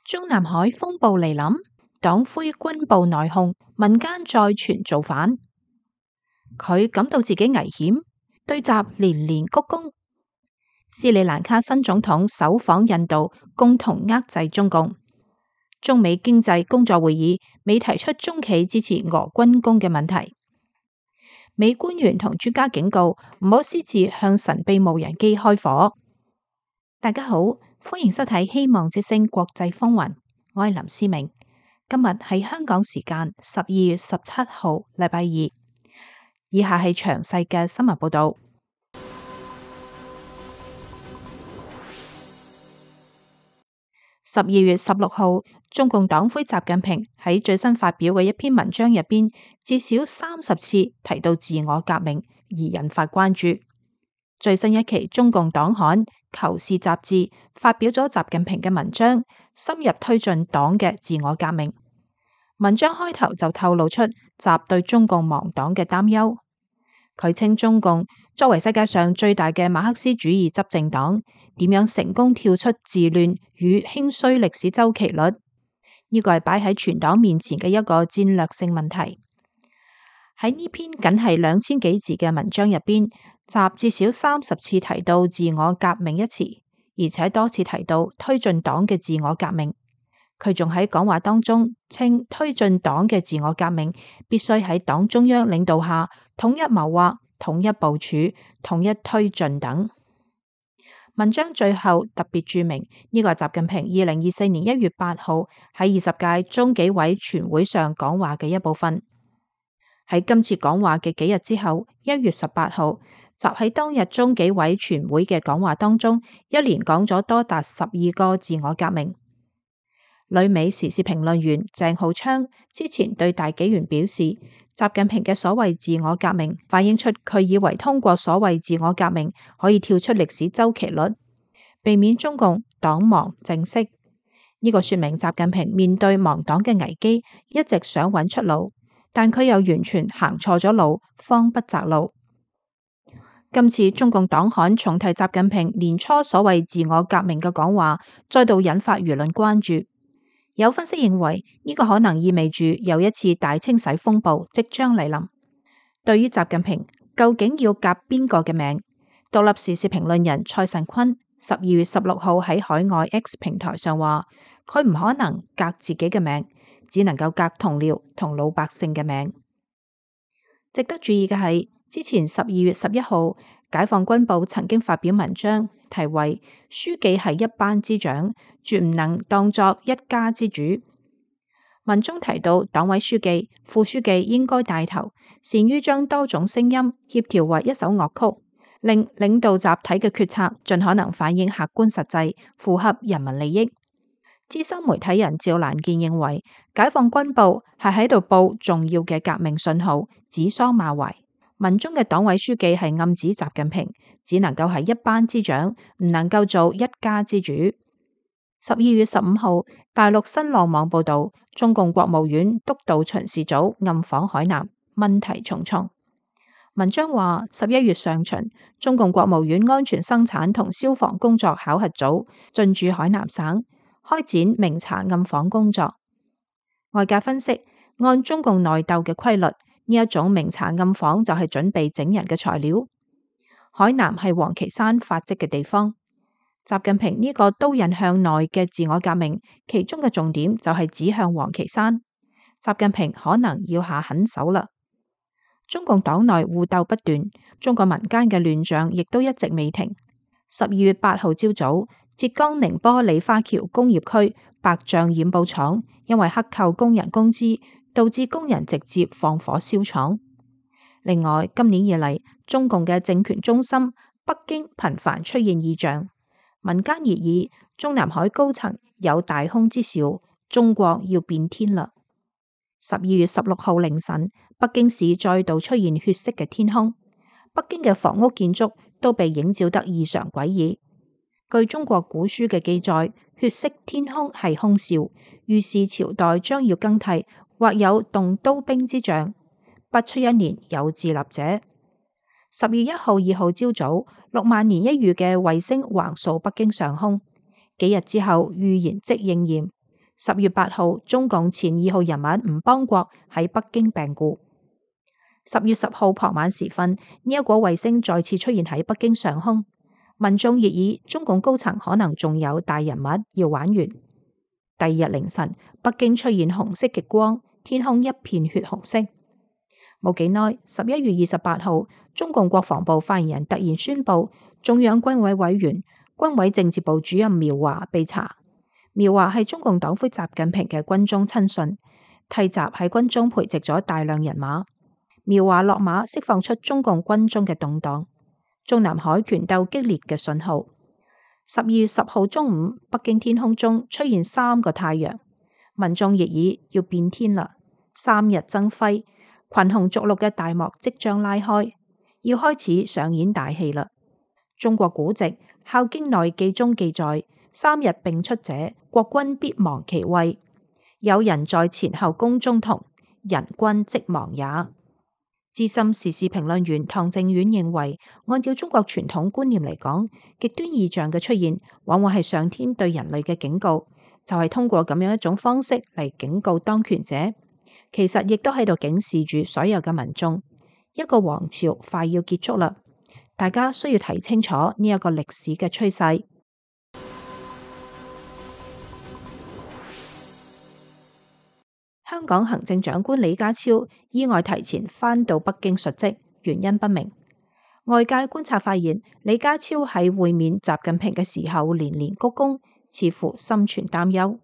中南海風暴嚟臨，黨魁軍部內訌，民間再傳造反。佢感到自己危險，對習連連鞠躬。斯里蘭卡新總統首訪印度，共同遏制中共。中美經濟工作會議未提出中企支持俄軍工嘅問題。美官員同專家警告唔好私自向神秘無人機開火。大家好，歡迎收睇《希望之聲國際風雲》，我係林思明。今日係香港時間12月17號，禮拜二。以下係詳細嘅新聞報道。12月16號，中共黨魁習近平喺最新發表嘅一篇文章入邊，至少30次提到自我革命，而引發關注。最新一期中共黨刊《求是》雜誌發表咗習近平嘅文章，深入推進黨嘅自我革命。文章開頭就透露出習對中共亡黨嘅擔憂。佢稱中共作為世界上最大嘅馬克思主義執政黨，點樣成功跳出治亂與興衰歷史周期率？呢個係擺喺全黨面前嘅一個戰略性問題。喺呢篇僅係2000幾字嘅文章入邊，習至少30次提到自我革命一詞，而且多次提到推進黨嘅自我革命。佢仲喺講話當中稱推進黨嘅自我革命必須喺黨中央領導下統一謀劃、統一部署、統一推進等。文章最後特別注明呢個係習近平2024年1月8號喺20屆中紀委全會上講話嘅一部分。喺今次講話嘅幾日之後，1月18號，習喺當日中紀委全會嘅講話當中，一連講咗多達12個自我革命。旅美時事評論員鄭浩昌之前對大紀元表示，習近平嘅所謂自我革命反映出佢以為通過所謂自我革命可以跳出歷史周期率，避免中共黨亡政息。呢個說明習近平面對亡黨嘅危機，一直想揾出路，但佢又完全行錯咗路，慌不擇路。今次中共黨刊重提習近平年初所謂自我革命嘅講話，再度引發輿論關注。有分析認為，呢個可能意味住又一次大清洗風暴即將嚟臨。對於習近平究竟要革邊個嘅命，獨立時事評論人蔡慎坤12月16號喺海外 X 平台上話，佢唔可能革自己嘅命，只能夠革同僚同老百姓嘅命。值得注意嘅係，之前12月11號，解放軍報曾經發表文章，題為《書記係一班之長，絕唔能當作一家之主》。文中提到，黨委書記、副書記應該帶頭，善於將多種聲音協調為一首樂曲，令領導集體嘅決策盡可能反映客觀實際，符合人民利益。資深媒體人趙蘭健認為，解放軍報係喺度報重要嘅革命信號，指桑罵槐。文中嘅黨委書記係暗指習近平只能夠係一班之長，唔能夠做一家之主。12月15號，大陸新浪網報道，中共國務院督導巡視組暗訪海南，問題重重。文章話，11月上旬，中共國務院安全生產同消防工作考核組進駐海南省，開展明查暗訪工作。外界分析，按中共內鬥嘅規律，呢一種明查暗訪就係準備整人嘅材料。海南係王岐山發跡嘅地方，習近平呢個刀刃向內嘅自我革命，其中嘅重點就係指向王岐山。習近平可能要下狠手啦。中共黨內互鬥不斷，中國民間嘅亂象亦都一直未停。12月8號朝早，浙江寧波李花橋工業區白象染布廠因為克扣工人工資，導致工人直接放火燒廠。另外，今年以嚟，中共嘅政權中心北京頻繁出現異象，民間熱議中南海高層有大空之兆，中國要變天啦。12月16號凌晨，北京市再度出現血色嘅天空，北京嘅房屋建築都被映照得異常詭異。據中國古書嘅記載，血色天空係凶兆，預示朝代將要更替，或有動刀兵之象。不出一年有自立者。10月1號、2號朝早，6萬年一遇嘅衛星橫掃北京上空，幾日之後預言即應驗。10月8號，中共前2號人物吳邦國喺北京病故。10月10號傍晚時分，呢一顆衛星再次出現喺北京上空，民眾熱議中共高層可能仲有大人物要玩完。第2日凌晨，北京出現紅色極光，天空一片血紅色。冇幾耐，11月28號，中共國防部發言人突然宣布，中央軍委委員、軍委政治部主任苗華被查。苗華係中共黨魁習近平嘅軍中親信，替習喺軍中培植咗大量人馬。苗華落馬，釋放出中共軍中嘅動盪、中南海權鬥激烈嘅信號。12月10號中午，北京天空中出現3個太陽，民眾熱議要變天啦！3日爭輝，群雄逐鹿嘅大幕即將拉開，要開始上演大戲啦！中國古籍《孝經內記》中記載：3日並出者，國君必亡其位。有人在前後宮中同，人君即亡也。資深時事評論員唐靖遠認為，按照中國傳統觀念嚟講，極端異象嘅出現，往往係上天對人類嘅警告，就係通過咁樣一種方式嚟警告當權者，其實亦都喺度警示住所有嘅民眾，一個王朝快要結束啦，大家需要睇清楚呢一個歷史嘅趨勢。香港行政長官李家超意外提前返到北京述職，原因不明。外界觀察發現，李家超喺會面習近平嘅時候連連鞠躬，似乎心存擔憂。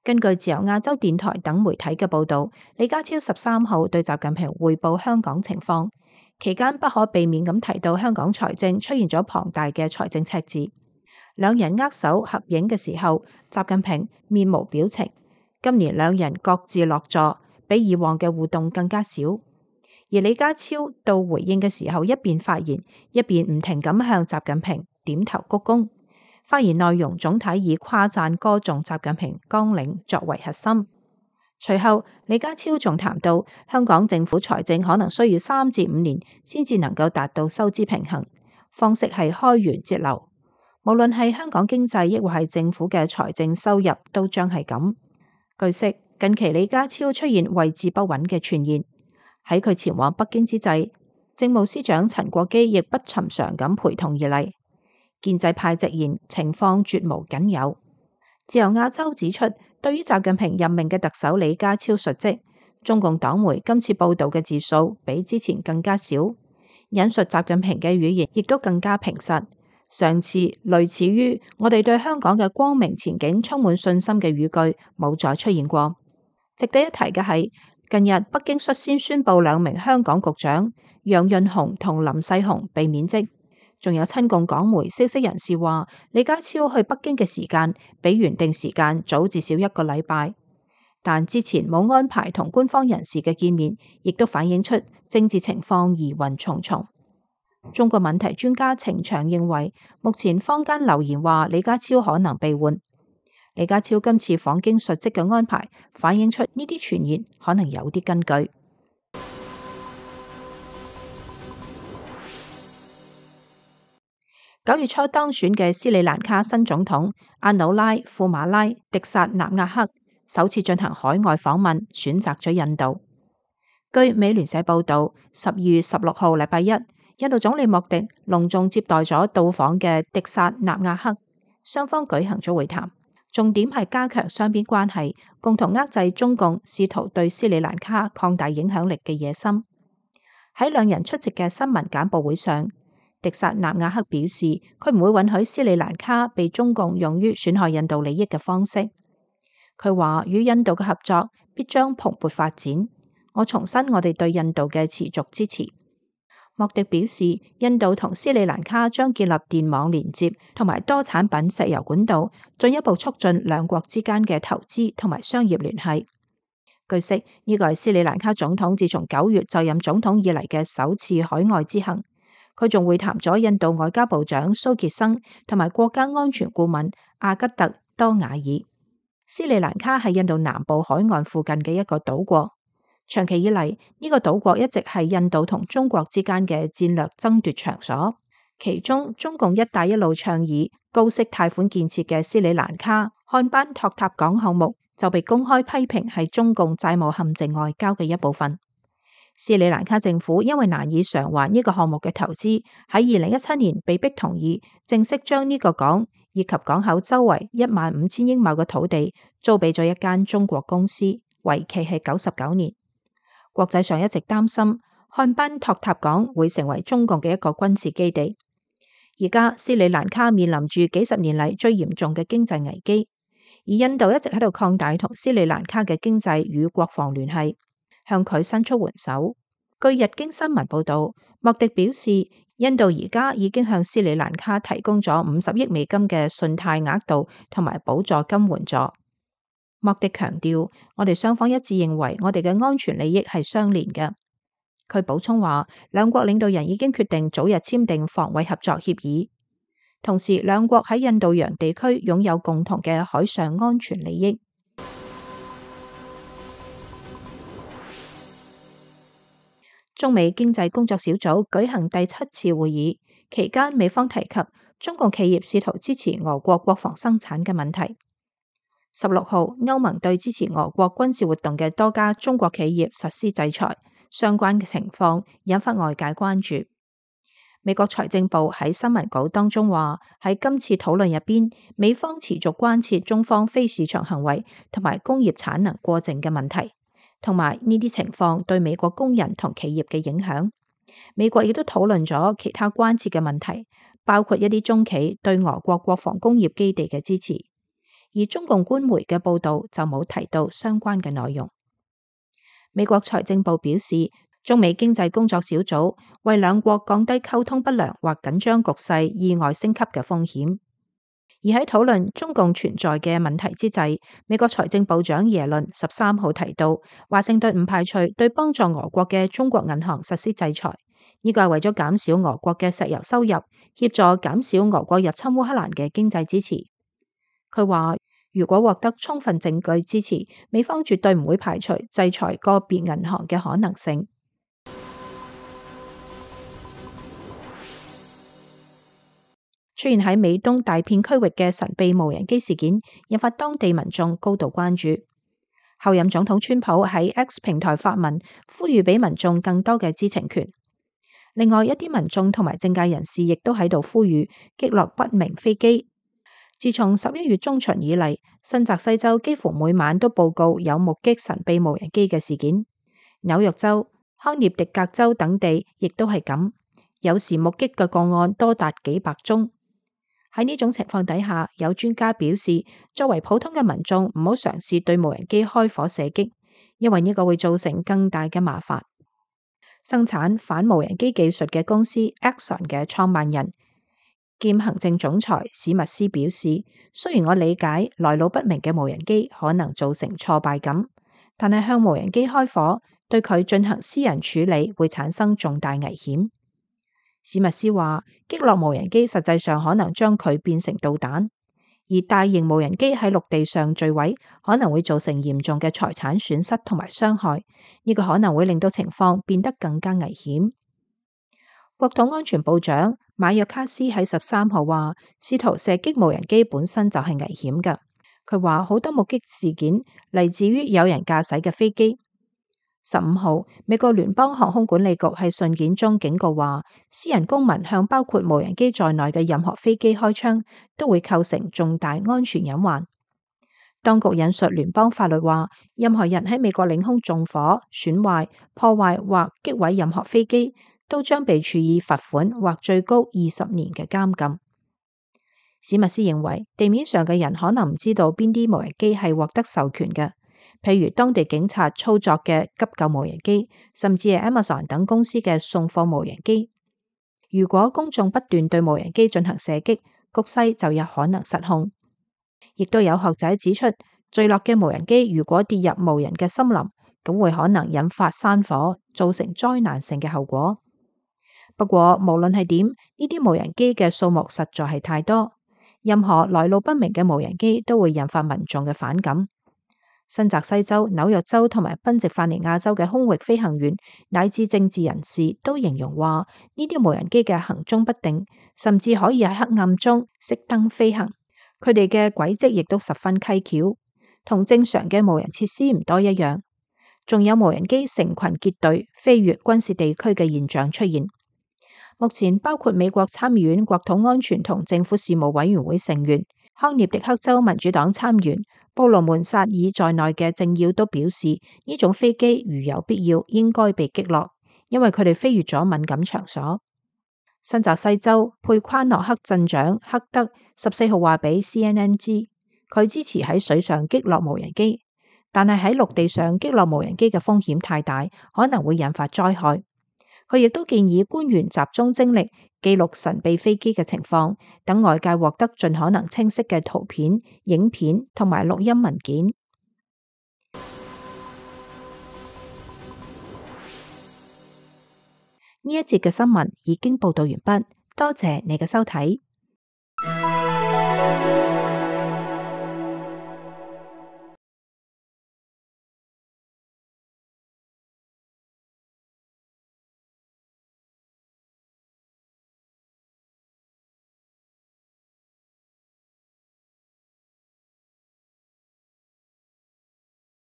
根據自由亞洲電台等媒體嘅報道，李家超13號對習近平匯報香港情況，期間不可避免咁提到香港財政出現咗龐大嘅財政赤字。兩人握手合影嘅時候，習近平面無表情。今年兩人各自落座，比以往嘅互動更加少。而李家超到回應嘅時候，一邊發言，一邊唔停咁向習近平點頭鞠躬。發言內容總體以誇讚歌頌習近平綱領作為核心。隨後，李家超仲談到香港政府財政可能需要3至5年先至能夠達到收支平衡，方式係開源節流。無論係香港經濟，抑或係政府嘅財政收入，都將係咁。據悉，近期李家超出現位置不穩嘅傳言。喺佢前往北京之際，政務司長陳國基亦不尋常咁陪同而嚟。建制派直言情況絕無僅有。自由亞洲指出，對於習近平任命嘅特首李家超述職，中共黨媒今次報道嘅字數比之前更加少，引述習近平嘅語言亦都更加平實。上次類似於我哋對香港嘅光明前景充滿信心嘅語句冇再出現過。值得一提嘅係，近日北京率先宣布2名香港局長楊潤雄同林世雄被免職，仲有親共港媒消息人士話，李家超去北京嘅時間比原定時間早至少1個禮拜，但之前冇安排同官方人士嘅見面，亦都反映出政治情況疑雲重重。中國問題專家程翔認為，目前坊間流言話李家超可能被換。李家超今次訪京述職嘅安排，反映出呢啲傳言可能有啲根據。9月初當選嘅斯里蘭卡新總統阿努拉·庫馬拉·迪薩納亞克首次進行海外訪問，選擇咗印度。據美聯社報道，12月16號禮拜一，印度總理莫迪隆重接待咗到訪嘅迪薩納亞克，雙方舉行咗會談，重點係加強雙邊關係，共同遏制中共試圖對斯里蘭卡擴大影響力嘅野心。喺兩人出席嘅新聞簡報會上，迪薩納亞克表示，佢唔會允許斯里蘭卡被中共用於損害印度利益嘅方式。佢話與印度嘅合作必將蓬勃發展。我重申我哋對印度嘅持續支持。莫迪表示，印度同斯里蘭卡將建立電網連接同埋多產品石油管道，進一步促進兩國之間嘅投資同埋商業聯繫。據悉，呢個係斯里蘭卡總統自從9月就任總統以嚟嘅首次海外之行。佢仲會談咗印度外交部長蘇傑生同埋國家安全顧問阿吉特多瓦爾。斯里蘭卡係印度南部海岸附近嘅一個島國。長期以嚟，呢個島國一直係印度同中國之間嘅戰略爭奪場所。其中，中共一帶一路倡議高息貸款建設嘅斯里蘭卡漢班托塔港項目就被公開批評係中共債務陷阱外交嘅一部分。斯里蘭卡政府因為難以償還呢個項目嘅投資，喺2017年被迫同意正式將呢個港以及港口周圍15000英畝嘅土地租俾咗一間中國公司，為期係99年。國際上一直擔心漢賓托塔港會成為中共嘅一個軍事基地。而家斯里蘭卡面臨住幾十年嚟最嚴重嘅經濟危機，而印度一直喺度擴大同斯里蘭卡嘅經濟與國防聯繫，向佢伸出援手。據日經新聞報道，莫迪表示，印度而家已經向斯里蘭卡提供咗50億美金嘅信貸額度同埋補助金援助。莫迪強調，我哋雙方一致認為我哋嘅安全利益係相連嘅。佢補充話，兩國領導人已經決定早日簽訂防衛合作協議，同時兩國喺印度洋地區擁有共同嘅海上安全利益。中美經濟工作小組舉行第7次會議期間，美方提及中共企業試圖支持俄國國防生產嘅問題。16號，歐盟對支持俄國軍事活動嘅多家中國企業實施制裁，相關嘅情況引發外界關注。美國財政部喺新聞稿當中話，喺今次討論入邊，美方持續關切中方非市場行為同埋工業產能過剩嘅問題，同埋呢啲情況對美國工人同企業嘅影響。美國亦都討論咗其他關切嘅問題，包括一啲中企對俄國國防工業基地嘅支持。而中共官媒嘅報導就冇提到相關嘅內容。美國財政部表示，中美經濟工作小組為兩國降低溝通不良或緊張局勢意外升級嘅風險。而喺討論中共存在嘅問題之際，美國財政部長耶倫13號提到，華盛頓唔排除對幫助俄國嘅中國銀行實施制裁，呢個係為咗減少俄國嘅石油收入，協助減少俄國入侵烏克蘭嘅經濟支持。佢話，如果獲得充分證據支持，美方絕對唔會排除制裁個別銀行嘅可能性。出現喺美東大片區域嘅神秘無人機事件，引發當地民眾高度關注。後任總統川普喺 X 平台發文，呼籲俾民眾更多嘅知情權。另外一啲民眾同埋政界人士亦都喺度呼籲擊落不明飛機。自從11月中旬以嚟，新澤西州幾乎每晚都報告有目擊神秘無人機嘅事件。紐約州、康涅狄格州等地亦都係咁，有時目擊嘅個案多達幾百宗。喺呢種情況底下，有專家表示，作為普通嘅民眾唔好嘗試對無人機開火射擊，因為呢個會造成更大嘅麻煩。生產反無人機技術嘅公司 Axon 嘅創辦人兼行政總裁史密斯表示，雖然我理解來路不明嘅無人機可能造成挫敗感，但係向無人機開火對佢進行私人處理會產生重大危險。史密斯話，擊落無人機實際上可能將佢變成導彈，而大型無人機喺陸地上墜毀可能會造成嚴重嘅財產損失同埋傷害，呢個可能會令到情況變得更加危險。國土安全部長馬約卡斯喺13號話，試圖射擊無人機本身就係危險嘅。佢話好多目擊事件嚟自於有人駕駛嘅飛機。15號，美國聯邦航空管理局喺信件中警告話，私人公民向包括無人機在內嘅任何飛機開槍，都會構成重大安全隱患。當局引述聯邦法律話，任何人喺美國領空縱火、損壞、破壞或擊毀任何飛機，都將被處以罰款或最高20年嘅監禁。史密斯認為，地面上嘅人可能唔知道邊啲無人機係獲得授權嘅，譬如當地警察操作嘅急救無人機，甚至係 Amazon 等公司嘅送貨無人機。如果公眾不斷對無人機進行射擊，局勢就有可能失控。亦都有學者指出，墜落嘅無人機如果跌入無人嘅森林，咁會可能引發山火，造成災難性嘅後果。不過無論係點，呢啲無人機嘅數目實在係太多，任何來路不明嘅無人機都會引發民眾嘅反感。新澤西州、紐約州同埋賓夕法尼亞州嘅空域飛行員乃至政治人士都形容話，呢啲無人機嘅行蹤不定，甚至可以喺黑暗中熄燈飛行。佢哋嘅軌跡亦都十分蹊蹺。同正常嘅無人設施唔多一樣。仲有無人機成群結隊飛越軍事地區嘅現象出現。目前包括美國參議院國土安全同政府事務委員會成員、康涅狄克州民主黨參員布魯門薩爾在內嘅政要都表示，呢種飛機如有必要應該被擊落，因為佢哋飛越咗敏感場所。新澤西州佩夸諾克鎮長克德14號話俾 CNN 知，佢支持喺水上擊落無人機，但係喺陸地上擊落無人機嘅風險太大，可能會引發災害。佢亦都建議官員集中精力記錄神秘飛機嘅情況，等外界獲得盡可能清晰嘅圖片、影片同埋錄音文件。呢一節嘅新聞已經報道完畢，多謝你嘅收睇。